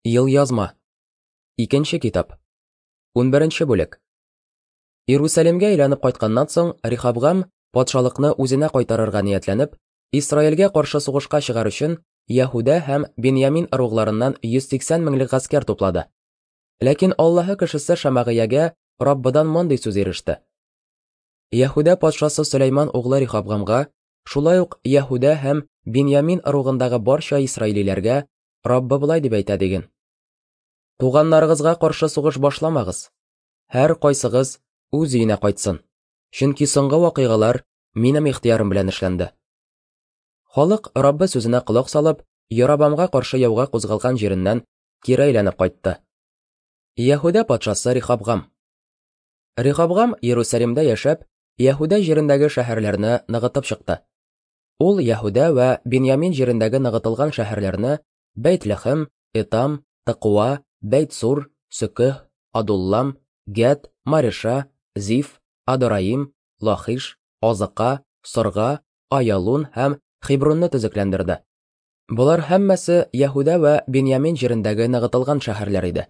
Елъязма. Икенче китап. 11 бүлек. Иерусалимгә әйләнеп кайтканнан соң, Рехабгам патшалыкны үзенә кайтарырга ниятләнеп, Исраилгә каршы сугышка чыгар өчен Яһүдә һәм Беньямин ыругларыннан 180 меңлек гаскәр туплады. Ләкин Аллаһы кешесе Шамагыягә Раббыдан мондый сүз иреште. Яһүдә патшасы Сөләйман углы Рехабгамга, шулай ук Яһүдә һәм Беньямин ыругындагы барча исраилиләргә Раббы болай дип әйтә диген. Туганнарыгызга каршы сугыш башламагыз. Һәр кайсыгыз үз өенә кайтсын. Чөнки соңгы вакыйгалар минем ихтыярым белән эшләнде. Халык Раббы сүзенә колак салып, Ярабамга каршы яуга кузгалган җиреннән кире әйләнеп кайтты. Яһүдә патшасы Рехабгам. Рехабгам Иерусалимдә яшәп, Яһүдә җирендәге шәһәрләрне ныгытып чыкты. Ул Яһүдә вә Беньямин җирендәге ныгытылган шәһәрләрне Бәйт-Лехем, Этам, Тыкуа, Бәйт-Сур, Сөкеһ, Адуллам, Гәт, Мареша, Зиф, Адораим, Лахиш, Азыка, Сорга, Аялун һәм Хебронны төзекләндерде. Болар һәммәсе Яһүдә вә Беньямин җирендәге ныгытылган шәһәрләр иде.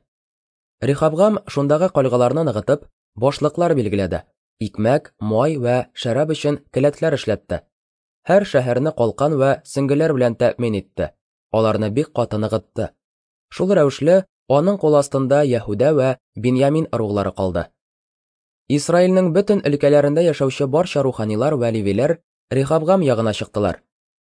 Рехабгам шундагы кальгаларны ныгытып, башлыклар билгеләде, икмәк, май вә шәраб өчен келәтләр эшләтте. Һәр шәһәрне калкан вә сөңгеләр белән тәэмин итте, аларны бик каты ныгытты. Шул рәвешле, аның кул астында Яһүдә вә Беньямин ыруглары калды. Исраилнең бөтен өлкәләрендә яшәүче барча руханилар вә левиләр Рехабгам ягына чыктылар.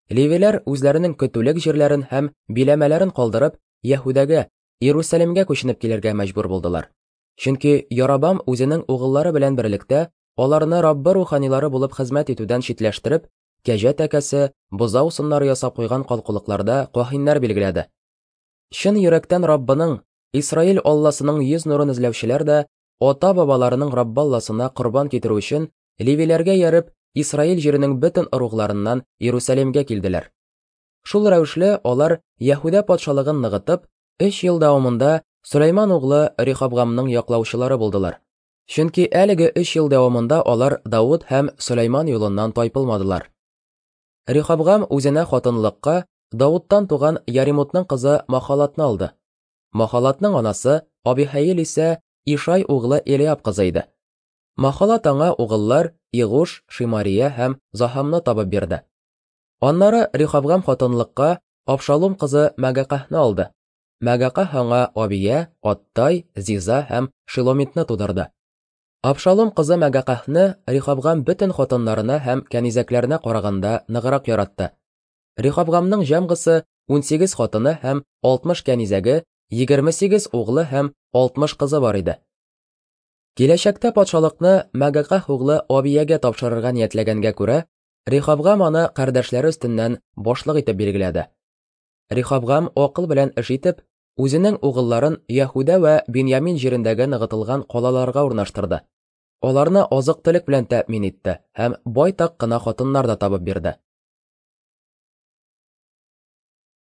Левиләр үзләренең көтүлек җирләрен һәм биләмәләрен калдырып, Яһүдәгә, Иерусалимгә күченеп килергә мәҗбүр булдылар. Чөнки Ярабам үзенең угыллары белән берлектә аларны Раббы руханилары булып хезмәт итүдән читләштереп, кәҗә тәкәсе, бозау сыннары ясап куйган калкулыкларда каһиннәр билгеләде. Чын йөрәктән Раббының, Исраил Алласының йөз нурын эзләүчеләр дә ата-бабаларының Раббы Алласына корбан китерү өчен левиләргә ияреп, Исраил җиренең бөтен ыругларыннан Иерусалимгә килделәр. Шул рәвешле алар Яһүдә патшалыгын ныгытып, өч ел дәвамында Сөләйман углы Рехабгамның яклаучылары булдылар. Чөнки әлеге өч ел дәвамында алар Давыт һәм Сөләйман юлыннан тайпылмадылар. Рехабгам үзенә хатынлыкка Давыттан туган Яримутның кызы Махалатны алды. Махалатның анасы Абихәил исә Ишай углы Элиаб кызы иде. Махалат аңа угыллар Игуш, Шимария һәм Захамны табып бирде. Аннары Рехабгам хатынлыкка Абшалум кызы Мәгакаһны алды. Мәгакаһ аңа Абия, Аттай, Зиза һәм Шиломитны тудырды. Абшалум кызы Мәгакаһны Рехабгам бөтен хатыннарына һәм кәнизәкләренә караганда ныграк яратты. Рехабгамның җәмгысы 18 хатыны һәм 60 кәнизәге, 28 углы һәм 60 кызы бар иде. Киләчәктә патшалыкны Мәгакаһ углы Абиягә тапшырырга ниятләгәнгә күрә, Рехабгам аны кардәшләре өстеннән башлык итеп билгеләде. Рехабгам акыл белән эш итеп, үзенең угылларын Яһүдә вә Беньямин җирендәге ныгытылган калаларга урнаштырды. Аларны азык-төлек белән тәэмин итте һәм байтак кына хатыннар да табып бирде.